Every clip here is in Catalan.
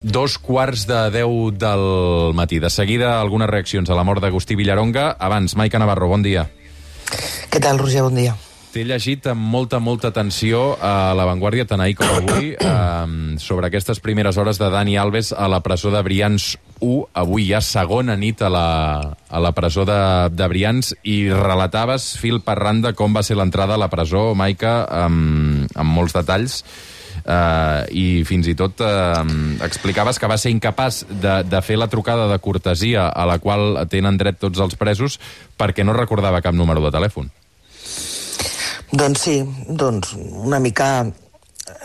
2:15 del matí. De seguida, algunes reaccions a la mort d'Agustí Villaronga. Abans, Maica Navarro, bon dia. Què tal, Roger? Bon dia. T'he llegit amb molta atenció a La Vanguardia, tant ahir com avui, sobre aquestes primeres hores de Dani Alves a la presó de Brians 1. Avui ja segona nit a la presó de Brians, i relataves fil per randa com va ser l'entrada a la presó, Maica, amb molts detalls. I fins i tot explicaves que va ser incapaç de fer la trucada de cortesia a la qual tenen dret tots els presos perquè no recordava cap número de telèfon. Doncs sí, una mica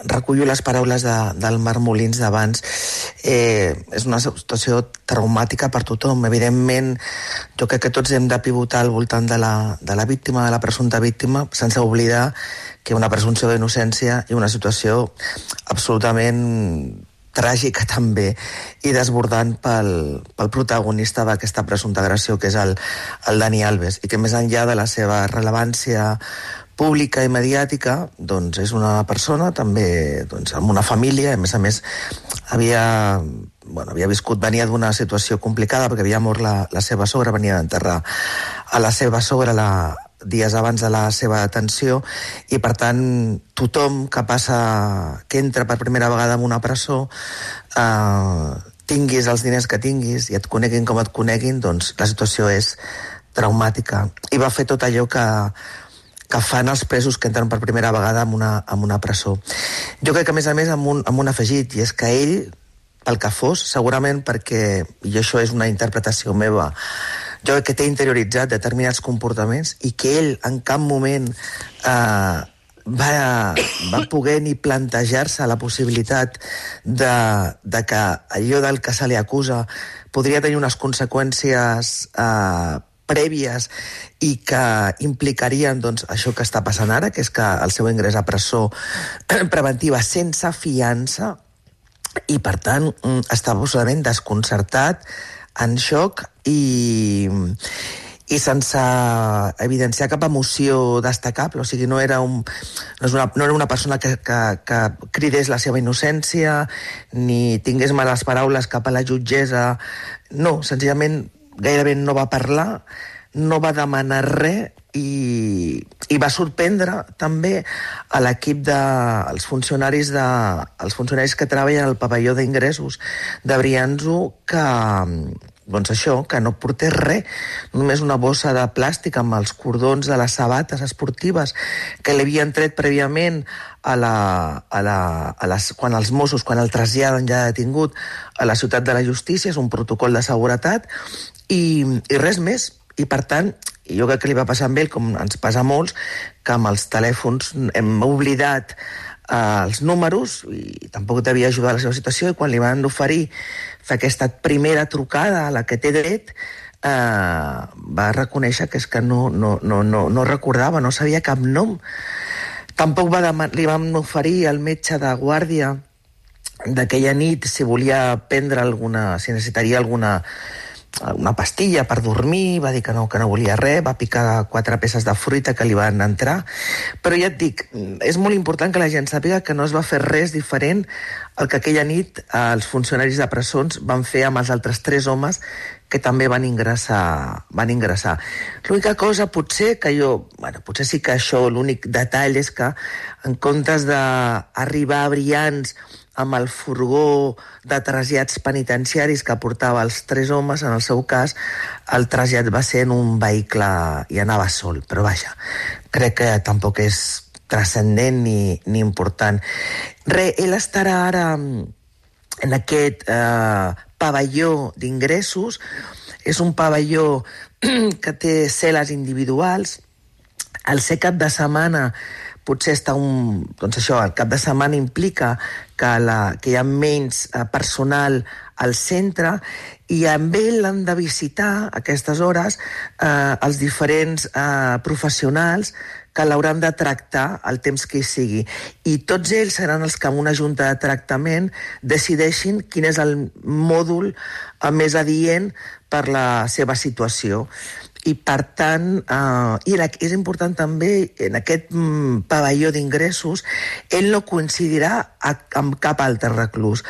recullo les paraules del Marc Molins d'abans. És una situació traumàtica per tothom. Evidentment, jo crec que tots hem de pivotar al voltant de la víctima, de la presumpta víctima, sense oblidar que una presumpció d'innocència i una situació absolutament tràgica també i desbordant pel protagonista d'aquesta presumpta agressió, que és el Dani Alves, i que més enllà de la seva rellevància pública i mediàtica, doncs és una persona també amb una família. A més, havia viscut, venia d'una situació complicada perquè havia mort la seva sogra, venia d'enterrar a la seva sogra dies abans de la seva detenció, i per tant tothom que entra per primera vegada en una presó, tinguis els diners que tinguis i et coneguin com et coneguin, doncs la situació és traumàtica. I va fer tot allò que fan els presos que entren per primera vegada en una presó. Jo crec que, a més, amb un afegit, i és que ell, pel que fos, segurament perquè, i això és una interpretació meva, jo crec que té interioritzat determinats comportaments i que ell en cap moment va poder ni plantejar-se la possibilitat de que allò del que se li acusa podria tenir unes conseqüències prèvies i que implicarien això que està passant ara, que és que el seu ingrés a presó preventiva sense fiança, i per tant està absolutament desconcertat, en xoc i sense evidenciar cap emoció destacable. O sigui, no era una persona que cridés la seva innocència ni tingués males paraules cap a la jutgessa. No, senzillament gairebé no va parlar, no va demanar res, i va sorprendre també a l'equip dels funcionaris que treballen al pavelló d'ingressos de Brianzo, que no portés res, només una bossa de plàstic amb els cordons de les sabates esportives que li havien tret prèviament quan els Mossos, quan el traslladen ja detingut a la ciutat de la justícia. És un protocol de seguretat i res més. I per tant, jo crec que li va passar amb ell, com ens passa a molts, que amb els telèfons hem oblidat els números i tampoc devia ajudar a la seva situació, i quan li van oferir fer aquesta primera trucada a la que té dret, va reconèixer que és que no recordava, no sabia cap nom. Tampoc li van oferir al metge de guàrdia d'aquella nit si volia prendre si necessitaria una pastilla per dormir. Va dir que no volia res, va picar 4 peces de fruita que li van entrar. Però ja et dic, és molt important que la gent sàpiga que no es va fer res diferent al que aquella nit els funcionaris de presons van fer amb els altres 3 homes que també van ingressar. L'única cosa, potser sí que això, l'únic detall és que en comptes d'arribar a Brians amb el furgó de trasllats penitenciaris que portava els 3 homes, en el seu cas, el trasllat va ser en un vehicle i anava sol. Però vaja, crec que tampoc és transcendent ni important. Ell estarà ara en aquest pavelló d'ingressos. És un pavelló que té cel·les individuals. Al ser cap de setmana potser el cap de setmana implica que hi ha menys personal al centre, i amb ell l'han de visitar a aquestes hores els diferents professionals que l'hauran de tractar el temps que hi sigui. I tots ells seran els que, amb una junta de tractament, decideixin quin és el mòdul més adient per la seva situació. i per tant, és important també, en aquest pavelló d'ingressos, ell no coincidirà amb cap altre reclús.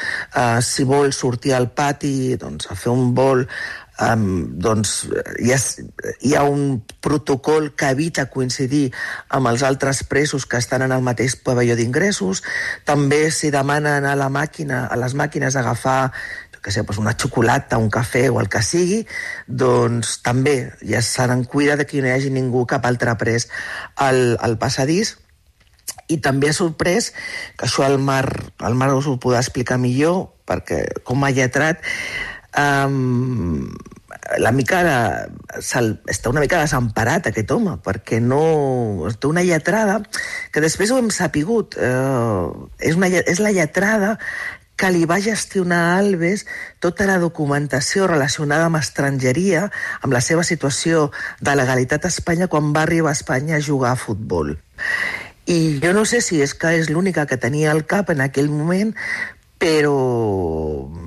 Si vol sortir al pati, doncs, a fer un vol, doncs hi ha un protocol que evita coincidir amb els altres presos que estan en el mateix pavelló d'ingressos. També s'hi demana anar a les màquines a agafar una xocolata, un cafè o el que sigui, doncs també ja se n'en cuida de que no hi hagi ningú, cap altre pres al passadís. I també ha sorprès, que això el Marc us ho podrà explicar millor, perquè com a lletrat està una mica desemparat aquest home, perquè no té una lletrada que després ho hem sapigut, és la lletrada que li va gestionar a Alves tota la documentació relacionada amb estrangeria, amb la seva situació de legalitat a Espanya quan va arribar a Espanya a jugar a futbol. I jo no sé si és que és l'única que tenia al cap en aquell moment, però,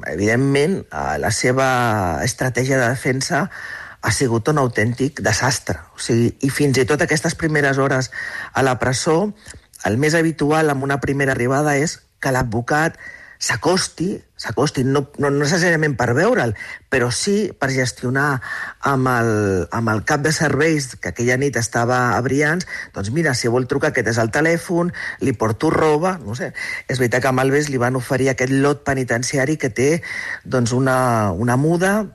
evidentment, la seva estratègia de defensa ha sigut un autèntic desastre. O sigui, i fins i tot aquestes primeres hores a la presó, el més habitual en una primera arribada és que l'advocat s'acosti, no necessàriament per veure'l, però sí per gestionar amb el cap de serveis, que aquella nit estava a Brians, doncs mira, si vol trucar, aquest és el telèfon, li porto roba, no sé. És veritat que a Alves li van oferir aquest lot penitenciari que té doncs una muda,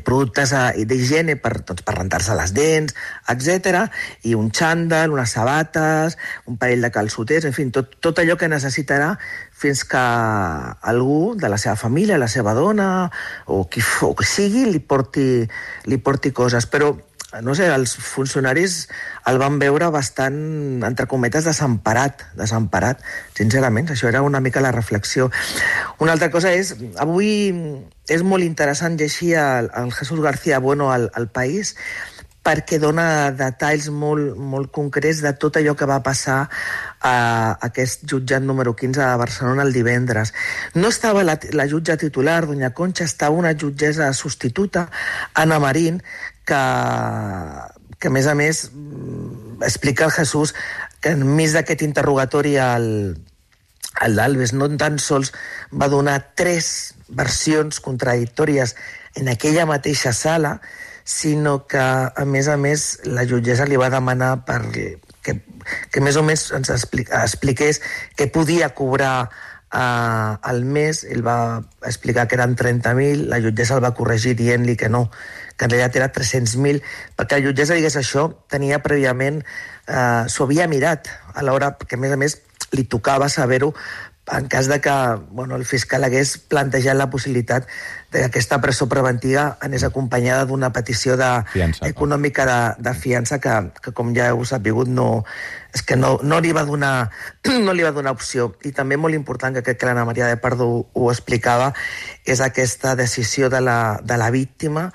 productes d'higiene per rentar-se les dents, etc, i un xandall, unes sabates, un parell de calçoters, en fi, tot allò que necessitarà fins que algú de la seva família, la seva dona, o qui sigui, li porti coses. Però, no sé, els funcionaris el van veure bastant, entre cometes, desemparat, sincerament. Això era una mica la reflexió. Una altra cosa és, avui és molt interessant llegir el Jesús García Bueno al País, perquè dona detalls molt concrets de tot allò que va passar a aquest jutjat número 15 de Barcelona el divendres. No estava la jutja titular, doña Concha, estava una jutgessa substituta, Ana Marín, que a més, explica el Jesús que enmig d'aquest interrogatori el d'Alves no tan sols va donar 3 versions contradictòries en aquella mateixa sala, sinó que, a més, la jutgessa li va demanar que més o menys ens expliqués què podia cobrar al mes. Ell va explicar que eren 30.000, la jutgessa el va corregir dient-li que no, que en realitat era 300.000, perquè la jutgessa digués això, tenia prèviament, s'ho havia mirat a l'hora, que a més li tocava saber-ho en cas de que el fiscal hagués plantejat la possibilitat que aquesta presó preventiva anés acompanyada d'una petició econòmica de fiança que com ja heu sabut, no li va donar opció. I també molt important, que crec que l'Anna Maria de Pardo ho explicava, és aquesta decisió de la víctima,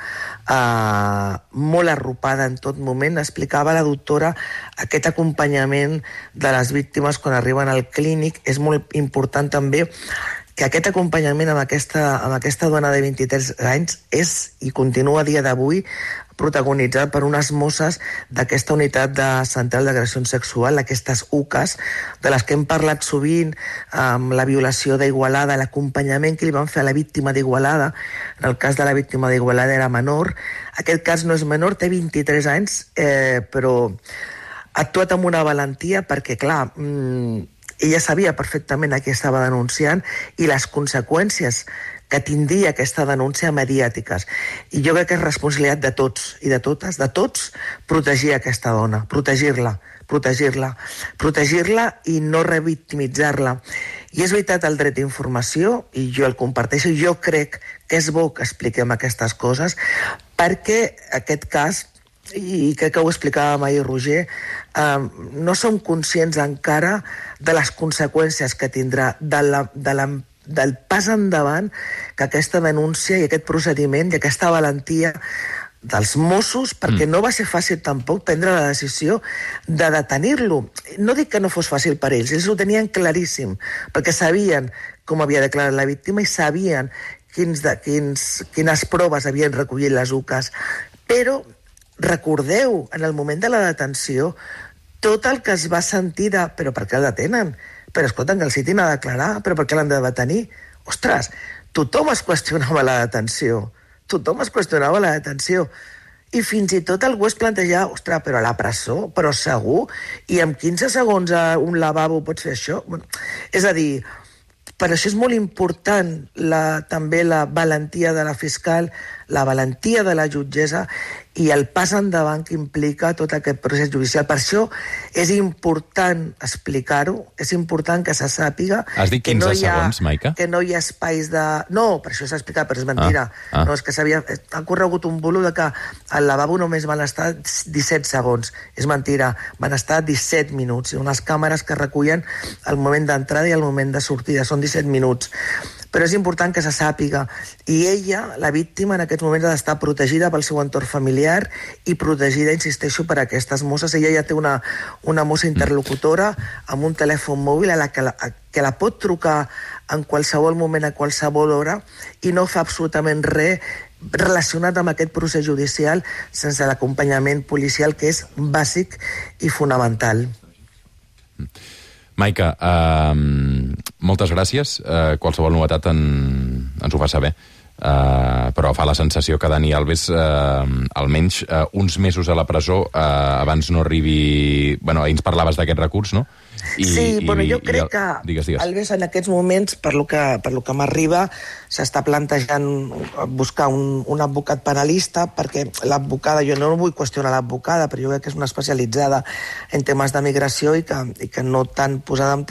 molt arropada en tot moment. Explicava la doctora aquest acompanyament de les víctimes quan arriben al clínic. És molt important també que aquest acompanyament amb aquesta dona de 23 anys és i continua a dia d'avui protagonitzat per unes mosses d'aquesta unitat de central d'agressió sexual, aquestes UCAs, de les que hem parlat sovint, amb la violació d'Igualada, l'acompanyament que li van fer a la víctima d'Igualada. En el cas de la víctima d'Igualada era menor. Aquest cas no és menor, té 23 anys, però ha actuat amb una valentia perquè, clar, ella sabia perfectament a qui estava denunciant i les conseqüències que tindria aquesta denúncia mediàtiques. I jo crec que és responsabilitat de tots i de totes, de tots, protegir aquesta dona, protegir-la i no revictimitzar-la. I és veritat el dret d'informació, i jo el comparteixo, i jo crec que és bo que expliquem aquestes coses, perquè aquest cas, i crec que ho explicàvem ahir, Roger, no som conscients encara de les conseqüències que tindrà, del pas endavant que aquesta denúncia i aquest procediment i aquesta valentia dels Mossos, perquè no va ser fàcil tampoc prendre la decisió de detenir-lo. No dic que no fos fàcil per ells ho tenien claríssim, perquè sabien com havia declarat la víctima i sabien quines proves havien recollit les UCAs, però recordeu, en el moment de la detenció, tot el que es va sentir de... Però per què el detenen? Però escolta, que el citin a declarar, però per què l'han de detenir? Ostres, tothom es qüestionava la detenció. Tothom es qüestionava la detenció. I fins i tot algú es plantejava, ostres, però a la presó, però segur? I en 15 segons a un lavabo pots fer això? És a dir, per això és molt important també la valentia de la fiscal, la valentia de la jutgessa i el pas endavant que implica tot aquest procés judicial. Per això és important explicar-ho, és important que se sàpiga... Has dit 15 segons, Maica? Que no hi ha espais de... No, per això s'ha explicat, però és mentira. No, és que ha corregut un bulo de que al lavabo només van estar 17 segons. És mentira, van estar 17 minuts. Unes càmeres que recullen el moment d'entrada i el moment de sortida. Són 17 minuts. Però és important que se sàpiga. I ella, la víctima, en aquests moments ha d'estar protegida pel seu entorn familiar i protegida, insisteixo, per aquestes mosses. Ella ja té una mossa interlocutora amb un telèfon mòbil a la que la pot trucar en qualsevol moment, a qualsevol hora, i no fa absolutament res relacionat amb aquest procés judicial sense l'acompanyament policial, que és bàsic i fonamental. Maica, moltes gràcies. Qualsevol novetat ens ho fa saber. Però fa la sensació que Dani Alves, almenys uns mesos a la presó, abans no arribi... Bueno, ahir ens parlaves d'aquest recurs, no? Jo crec que digues. Alves en aquests moments, per lo que m'arriba, s'està plantejant buscar un advocat penalista, perquè l'advocada, jo no vull qüestionar l'advocada, però jo crec que és una especialitzada en temes de migració i que no tan posada en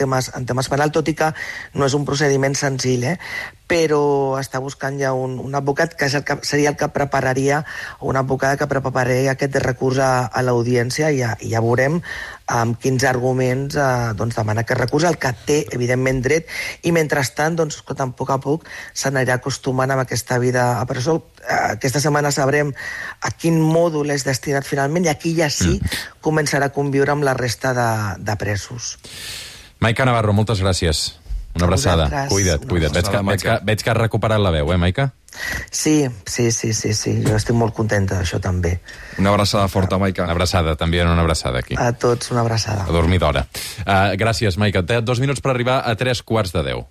temes penal, tot i que no és un procediment senzill, però està buscant ja un advocat que seria el que prepararia, o una advocada que prepararia aquest recurs a l'audiència, i ja veurem amb quins arguments demana aquest recurs, el que té, evidentment, dret, i mentrestant, a poc a poc, s'anirà acostumant amb aquesta vida a presó. Aquesta setmana sabrem a quin mòdul és destinat finalment, i aquí ja sí començarà a conviure amb la resta de presos. Maica Navarro, moltes gràcies. Una abraçada. Cuida't. Veig que has recuperat la veu, Maica? Sí. Jo estic molt contenta d'això, també. Una abraçada forta, Maica. Una abraçada, també una abraçada aquí. A tots, una abraçada. A dormir d'hora. Gràcies, Maica. 2 minuts per arribar a 3:15.